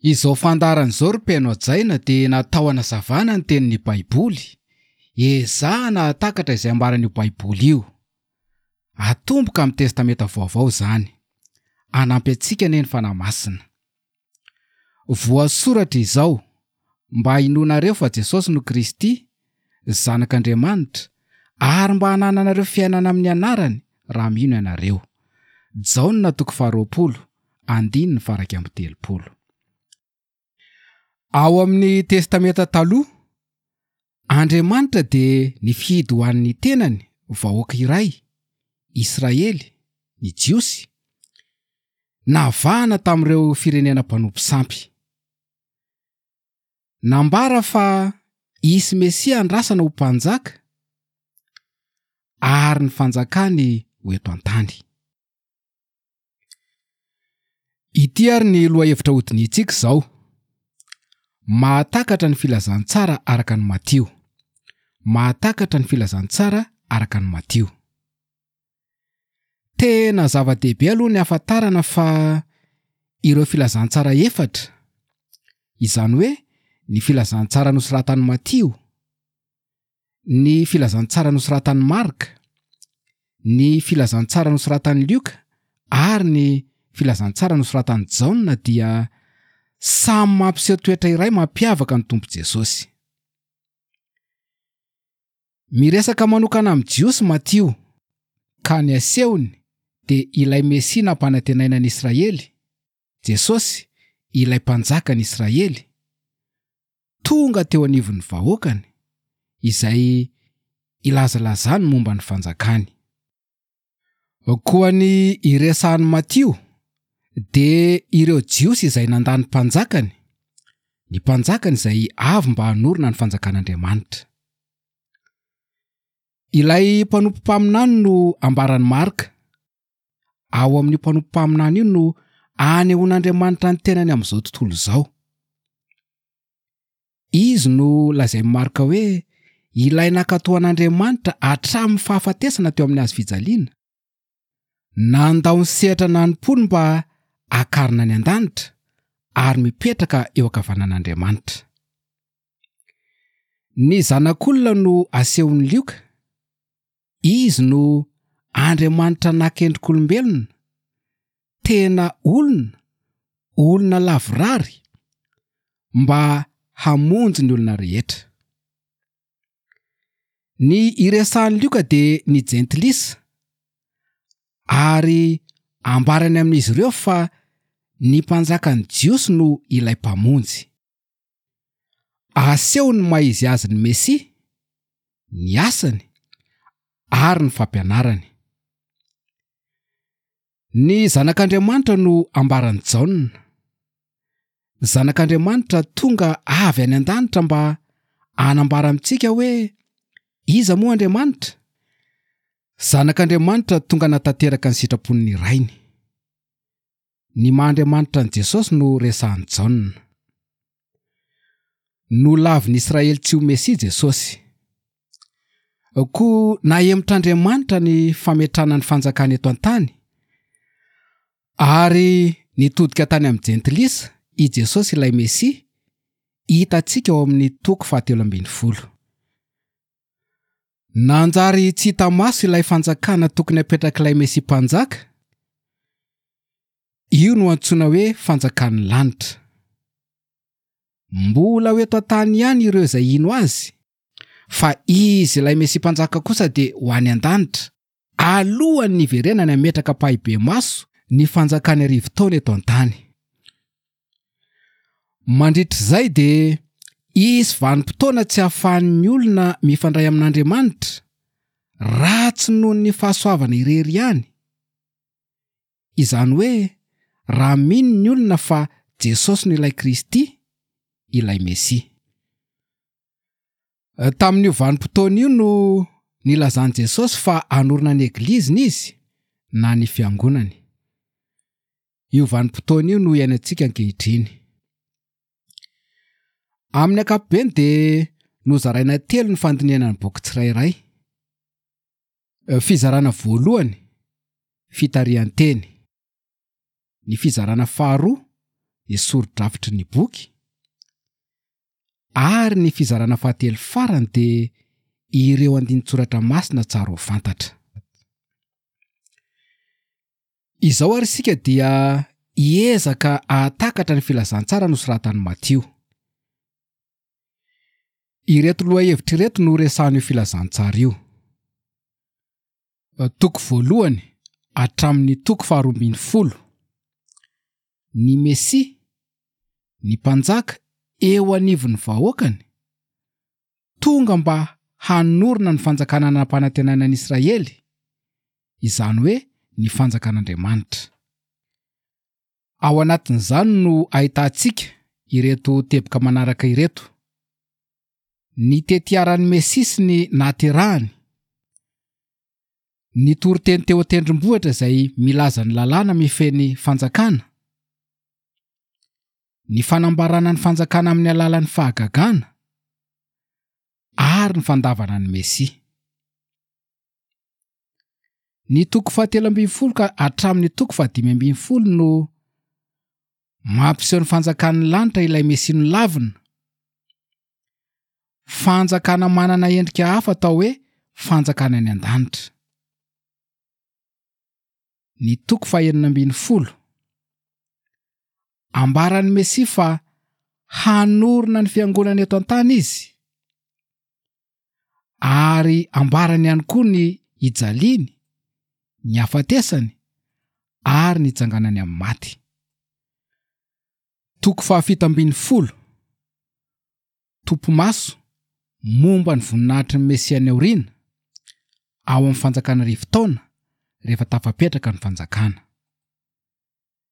Izao fandaharana izao ry mpihaino hajaina dia natao hanazavana ny tenin'ny Baiboly, ezahana hahatakatra izay ambaran'io Baiboly io. Atomboka amin'ny Testamenta Vaovao izany. Hanampy antsika anie ny Fanahy Masina. Voasoratra izao, mba hinoanareo fa Jesosy no Kristy, Zanak'Andriamanitra, ary mba hanananareo fiainana amin'ny anarany raha mino ianareo. Jaona toko faharoapolo, andininy faha-31. Ao amin'ny Testamenta Taloha, Andriamanitra dia nifidy ho an'ny tenany vahoaka iray, Israely, ny Jiosy, navahana tamin'ireo firenena mpanompo sampy. Nambara fa hisy Mesia andrasana ho mpanjaka ary ny fanjakany ho eto an-tany. Ity ary ny lohahevitra hodinihintsika izao, Mahatakatra ny filazantsara araka an'i Matio. Mahatakatra ny filazantsara araka an'i Matio. Tena zava-dehibe aloha ny hahafantarana fa ireo filazantsara efatra, izany hoe ny filazantsara nosoratan'i Matio, ny filazantsara nosoratan'i Marka, ny filazantsara nosoratan'i Lioka ary ny filazantsara nosoratan'i Jaona dia samy mampiseho toetra iray mampiavaka ny Tompo Jesosy. Miresaka manokana amin'ny Jiosy Matio, ka ny asehony dia ilay Mesia nampanantenaina an'i Israely, Jesosy, ilay Mpanjakan'i Israely, tonga teo anivon'ny vahoakany, izay ilazalazany momba ny fanjakany. Koa ny iresahan'i Matio dia ireo Jiosy izay nandà ny mpanjakany, ny mpanjakany izay avy mba hanorina ny fanjakan'Andriamanitra. Ilay mpanompo mpaminany no ambaran'i Marka. Ao amin'io mpanompo mpaminany io no anehoan'Andriamanitra ny tenany amin'izao tontolo izao. Izy no lazain'i Marka hoe ilay nankatò an'Andriamanitra hatramin'ny fahafatesana teo amin'ny hazo fijaliana. Nandao ny sehatra nanompoany mba hakarina any an-danitra ary mipetraka eo ankavanan'Andriamanitra. Ny Zanak'olona no asehon'i Lioka. Izy no Andriamanitra naka endrik'olombelona, tena olona, olona lavorary, mba hamonjy ny olona rehetra. Ny iresahan'i Lioka dia ny jentilisa, ary ambarany amin'izy ireo fa ny mpanjakan'ny Jiosy no ilay Mpamonjy. Aseho ny maha izy azy ny Mesia, ny asany ary ny fampianarany. Ny Zanak'Andriamanitra no ambaran'i Jaona. Zanak'Andriamanitra tonga avy any an-danitra mba hanambara amintsika hoe iza moa Andriamanitra? Zanak'Andriamanitra tonga natanteraka ny sitrapon'ny Rainy. Ny maha Andriamanitra an'i Jesosy no resahan'i Jaona. Nolavin'i Israely tsy ho Mesia Jesosy. Koa nahemotr'Andriamanitra ny fametrahana ny fanjakany eto an-tany, ary nitodika tany amin'ny Jentilisa i Jesosy ilay Mesia, hitantsika ao amin'ny toko fahatelo ambinifolo. Nanjary tsy hita maso ilay fanjakana tokony hapetrak'ilay Mesia Mpanjaka. Io no antsoina hoe fanjakan'ny lanitra. Mbola ho eto an-tany ihany ireo izay hino azy, fa izy ilay Mesia Mpanjaka kosa dia ho any an-danitra, alohan'ny hiverenany hametraka ampahibemaso ny fanjakany arivotaona eto an-tany. Mandritra izay dia hisy vanim-potoana tsy hahafahan'ny olona mifandray amin'Andriamanitra raha tsy noho ny fahasoavana irery ihany, izany hoe raha mino ny olona fa Jesosy no ilay Kristy, ilay Mesia. Tamin'io vanim-potoana io no nilazan'i Jesosy fa hanorina ny Egliziny Izy na ny Fiangonany. Io vanim-potoana io no iainantsika ankehitriny. Amin'ny ankapobeny dia nozaraina telo ny fandinihana ny boky tsirairay. Fizarana voalohany, fitarihan-teny. Ny fizarana faharoa, ny sori-drafitry ny boky, ary ny fizarana fahatelo farany dia ireo andinin-tsoratra masina tsara ho fantatra. Izao ary isika dia hiezaka hahatakatra ny filazantsara nosoratan'i Matio. Ireto lohahevitra ireto no resahan'io filazantsara io. Toko voalohany hatramin'ny toko faharoa ambin'ny folo. Ny Mesia, ny Mpanjaka eo anivon'ny vahoakany, tonga mba hanorina ny fanjakana nampanantenaina an'i Israely, izany hoe ny fanjakan'Andriamanitra. Ao anatin'izany no ahitantsika ireto teboka manaraka ireto, Ny tetiaran'ny Mesia sy ny nahaterahany, ny toriteny teo an-tendrombohitra izay milaza ny lalàna mifehy ny fanjakana, ny fanambarana ny fanjakana amin'ny alalan'ny fahagagana, ary ny fandavana ny Mesia. Ny toko fahatelo ambin'ny folo ka hatramin'ny toko fahadimy ambin'ny folo no mampiseho ny fanjakan'ny lanitra ilay Mesia nolavina. Fanjakana manana endrika hafa atao hoe fanjakana any an-danitra. Ny toko fahenina ambin'ny folo. Ambaran'ny Mesia fa hanorina ny fiangonana eto an-tany izy. Ary ambarany ihany koa ny hijaliany, ny hafatesany ary ny hitsanganany amin'ny maty. Toko fahafito ambin'ny folo. Topi-maso momba ny voninahitry ny Mesia any aoriana, ao amin'ny Fanjakana Arivo Taona, rehefa tafapetraka ny Fanjakana.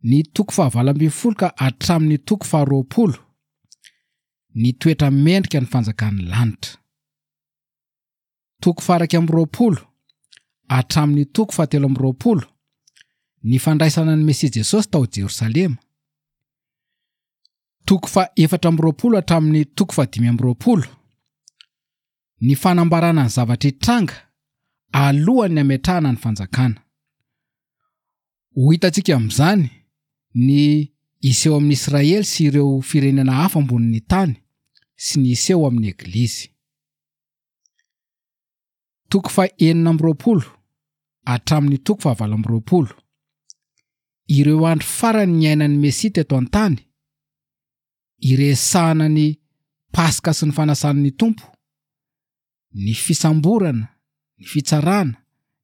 Ny toko fahavalo ambin'ny folo ka hatramin'ny toko faharoapolo, ny toetra mendrika ny fanjakan'ny lanitra. Toko faha-21 hatramin'ny toko fahatelo amby roapolo, ny fandraisana ny Mesia Jesosy tao Jerosalema. Toko faha-24 hatramin'ny toko faha-25, ny fanambarana ny zavatra hitranga alohan'ny hametrahana ny fanjakana. Ho hitantsika amin'izany ny hiseho amin'i Israely sy ireo firenena hafa ambonin'ny tany sy ny hiseho amin'ny Eglizy. Toko faha-26 hatramin'ny toko faha-28. Ireo andro farany niainan'ny Mesia teto an-tany, iresahana ny Paska sy ny Fanasan'ny Tompo, ny fisamborana, ny fitsarana,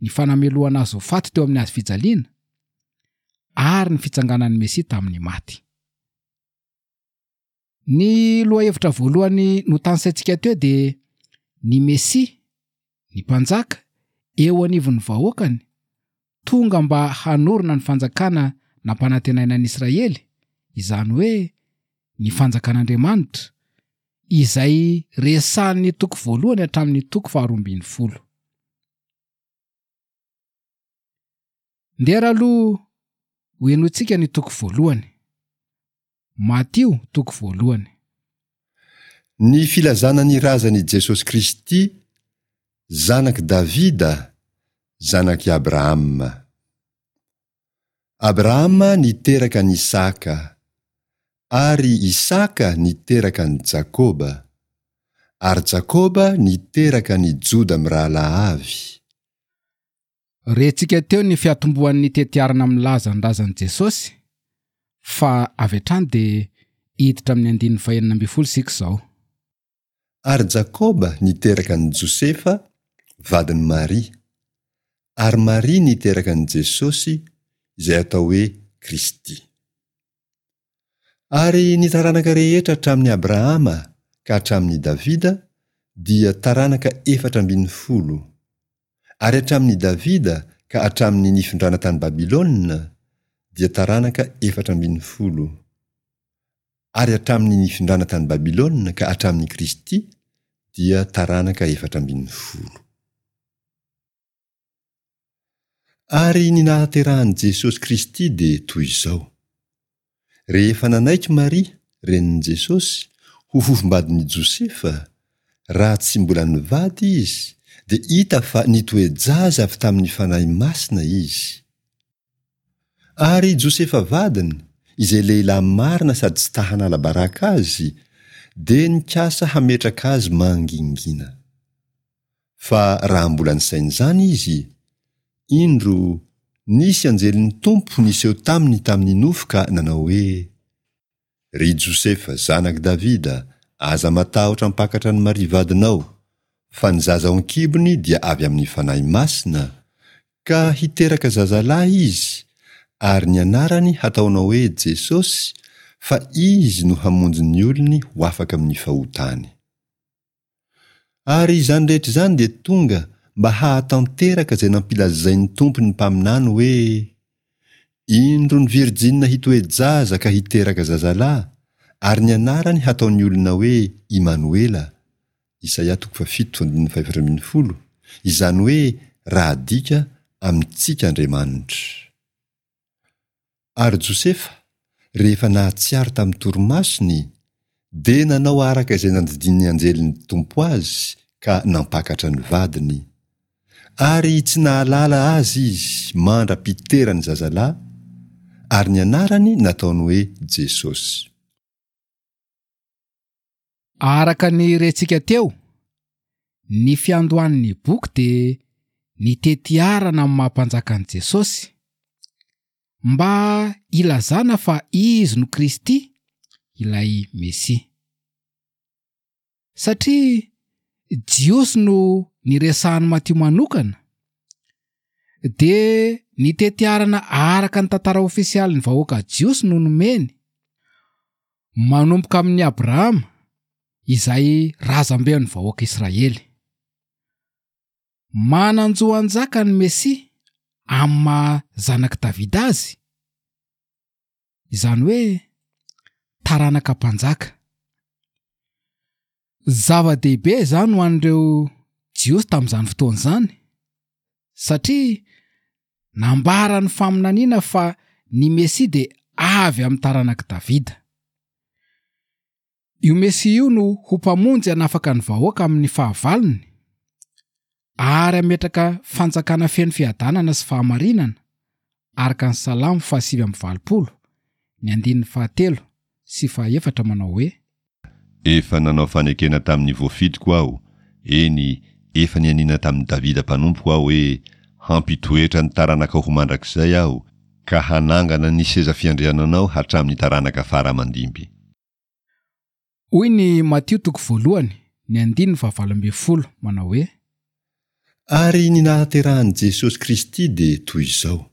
ny fanamelohana azy ho faty teo amin'ny hazo fijaliana, ary ny fitsanganan'ny Mesia tamin'ny maty. Ny lohahevitra voalohany notanisaintsika teo dia ny Mesia, ny Mpanjaka, eo anivon'ny vahoakany, tonga mba hanorina ny fanjakana nampanantenaina an'i Israely, izany hoe ny fanjakan'Andriamanitra, izay resahin'ny toko voalohany hatramin'ny toko faharoa ambin'ny folo. Ndeha raha aloha hohenointsika ny toko voalohany. Matio toko voalohany. Ny filazana ny razan' i Jesosy Kristy, zanak' i Davida, zanak' i Abrahama. Abrahama niteraka an' Isaka, ary Isaka niteraka an'i Jakoba, ary Jakoba niteraka an' i Joda mirahalahy avy. Rentsika teo ny fiatombohan'ny tetiarana milaza ny razan'i Jesosy, fa avy hatrany dia hiditra amin'ny andininy fahenina ambin'ny folo isika izao. Ary Jakoba niteraka an'i Josefa, vadin'i Maria, ary Maria niteraka an'i Jesosy, izay atao hoe Kristy. Ary ny taranaka rehetra hatramin'i Abrahama ka hatramin'i Davida dia taranaka 14, ary hatramin'i Davida ka hatramin'ny nifindrana tany Babylona dia taranaka 14, ary hatramin'ny nifindrana tany Babylona ka hatramin'i Kristy dia taranaka 14. Ary ny nahaterahan'i Jesosy Kristy dia toy izao, Rehefa nanaiky Maria, renin'i Jesosy, ho fofombadin'i Josefa, raha tsy mbola nivady izy, dia hita fa nitoe-jaza avy tamin'ny Fanahy Masina izy. Ary Josefa vadiny, izay lehilahy marina sady tsy ta hanala baraka azy, dia nikasa hametraka azy mangingina. Fa raha mbola nisaina izany izy, indro, nisy anjelin'ny Tompo niseho taminy tamin'ny nofy ka nanao hoe, Ry Josefa, zanak'i Davida, aza matahotra hampakatra an'i Maria vadinao, fa ny zaza ao an-kibony dia avy amin'ny Fanahy Masina, ka hiteraka zazalahy izy, ary ny anarany hataonao hoe Jesosy, fa Izy no hamonjy ny olony ho afaka amin'ny fahotany. Ary izany rehetra izany dia tonga mba hahatanteraka izay nampilazain'ny Tompo ny mpaminany hoe, Indro ny virjina hitoe-jaza ka hiteraka zazalahy, ary ny anarany hataon'ny olona hoe Imanoela, Isaia toko fahafito andininy fahefatra ambin'ny folo, izany hoe raha adika, amintsika Andriamanitra. Ary Josefa, rehefa nahatsiaro tamin'ny torimasony, dia nanao araka izay nandidian'ny anjelin'ny Tompo azy ka nampakatra ny vadiny. Ary tsy nahalala azy izy mandra-piterany zazalahy, ary ny anarany nataony hoe Jesosy. Araka ny rentsika teo, ny fiandohan'ny boky dia ny tetiarana amin'ny maha mpanjaka an'i Jesosy, mba hilazana fa Izy no Kristy, ilay Mesia. Satria Jiosy no niresahan'i Matio manokana, dia ny tetiarana araka ny tantara ofisialin'ny vahoaka Jiosy no nomeny, manomboka amin'i Abrahama, izay razamben'ny vahoaka Israely. Manan-jo hanjaka ny Mesia amin'ny maha zanak'i Davida azy, izany hoe taranaka mpanjaka. Zava-dehibe izany ho an'ireo Jiosy tamin'izany fotoana izany, satria nambaran'ny faminaniana fa ny Mesia dia avy amin'ny taranak'i Davida. Io Mesia io no ho Mpamonjy hanafaka ny vahoaka amin'ny fahavalony, ary hametraka fanjakana feno fiadanana sy fahamarinana, araka ny Salamo fahasivy amby valopolo, ny andininy fahatelo sy fahaefatra manao hoe. Efa nanao fanekena tamin'ny voafidiko Aho, eny, efa nianiana tamin'i Davida mpanompoko Aho hoe, Hampitoetra ny taranakao ho mandrakizay Aho, ka hanangana ny seza fiandriananao hatramin'ny taranaka fara aman-dimby. Hoy ny Matio toko voalohany, ny andininy fahavalo ambin'ny folo, manao hoe. Ary ny nahaterahan'i Jesosy Kristy dia toy izao,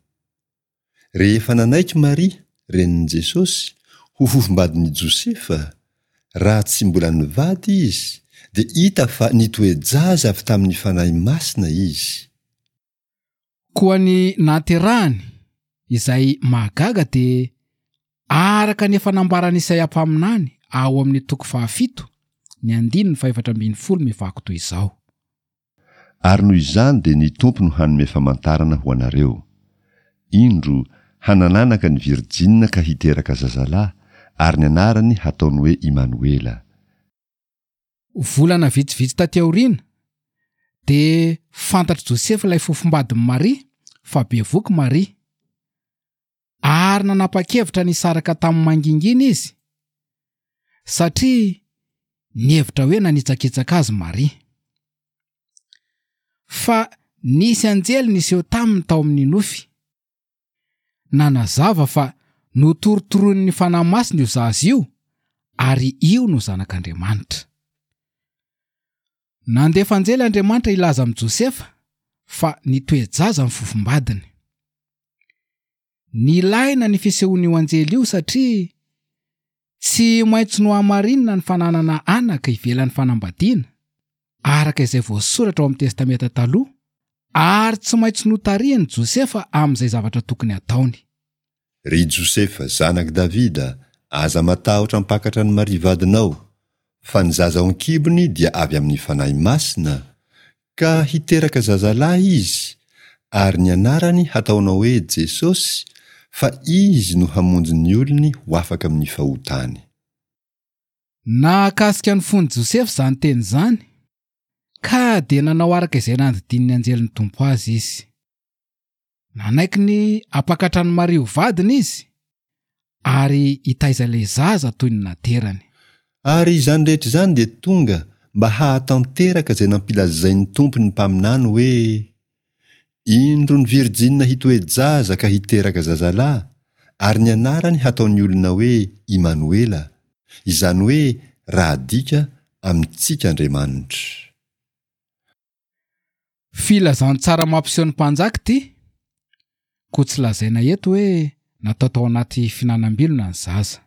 Rehefa nanaiky Maria, renin'i Jesosy, ho fofombadin'i Josefa, raha tsy mbola nivady izy, dia hita fa nitoe-jaza avy tamin'ny Fanahy Masina izy. Koa ny nahaterahany, izay mahagaga dia araka ny efa nambaran'i Isaia mpaminany ao amin'ny toko fahafito, ny andininy fahefatra ambin'ny folo mivaky toy izao. Ary noho izany dia ny Tompo no hanome famantarana ho anareo. Indro, hanananaka ny virjina ka hiteraka zazalahy, ary ny anarany hataony hoe Imanoela. Volana vitsivitsy taty aoriana, dia fantatr'i Josefa ilay fofombadin'i Maria fa bevoky Maria. Ary nanapa-kevitra ny hisaraka taminy mangingina izy, satria nihevitra hoe nanitsakitsaka azy Maria. Fa nisy anjely niseho taminy tao amin'ny nofy, nanazava fa notorotoroin'ny Fanahy Masina io zaza io ary io no Zanak'Andriamanitra. Nandefa anjely Andriamanitra hilaza amin'i Josefa fa nitoe-jaza ny fofombadiny. Nilaina ny fisehoan'io anjely io satria tsy maintsy nohamarinina ny fananana anaka ivelan'ny fanambadiana, araka izay voasoratra ao amin'ny Testamenta Taloha, ary tsy maintsy notarihiny Josefa amin'izay zavatra tokony hataony. Ry Josefa, zanak'i Davida, aza matahotra hampakatra an'i Maria vadinao, fa ny zaza ao an-kibony dia avy amin'ny Fanahy Masina, Ka hiteraka zazalahy izy, ary ny anarany hataonao hoe Jesosy, fa Izy no hamonjy ny olony ho afaka amin'ny fahotany. Nahakasika ny fon'i Josefa izany teny izany, ka dia nanao araka izay nandidian'ny anjelin'ny Tompo azy izy. Nanaiky ny hampakatra an'i Maria ho vadiny izy, Ary hitaiza ilay zaza toy ny naterany. Ary izany rehetra izany dia tonga mba hahatanteraka izay nampilazain'ny Tompo ny mpaminany hoe, Indro ny virjina hitoe-jaza ka hiteraka zazalahy, ary ny anarany hataon'ny olona hoe Imanoela, izany hoe raha adika, amintsika Andriamanitra. Filazantsara mampiseho ny mpanjaka ity, koa tsy lazaina eto hoe natao tao anaty fihinanam-bilona ny zaza.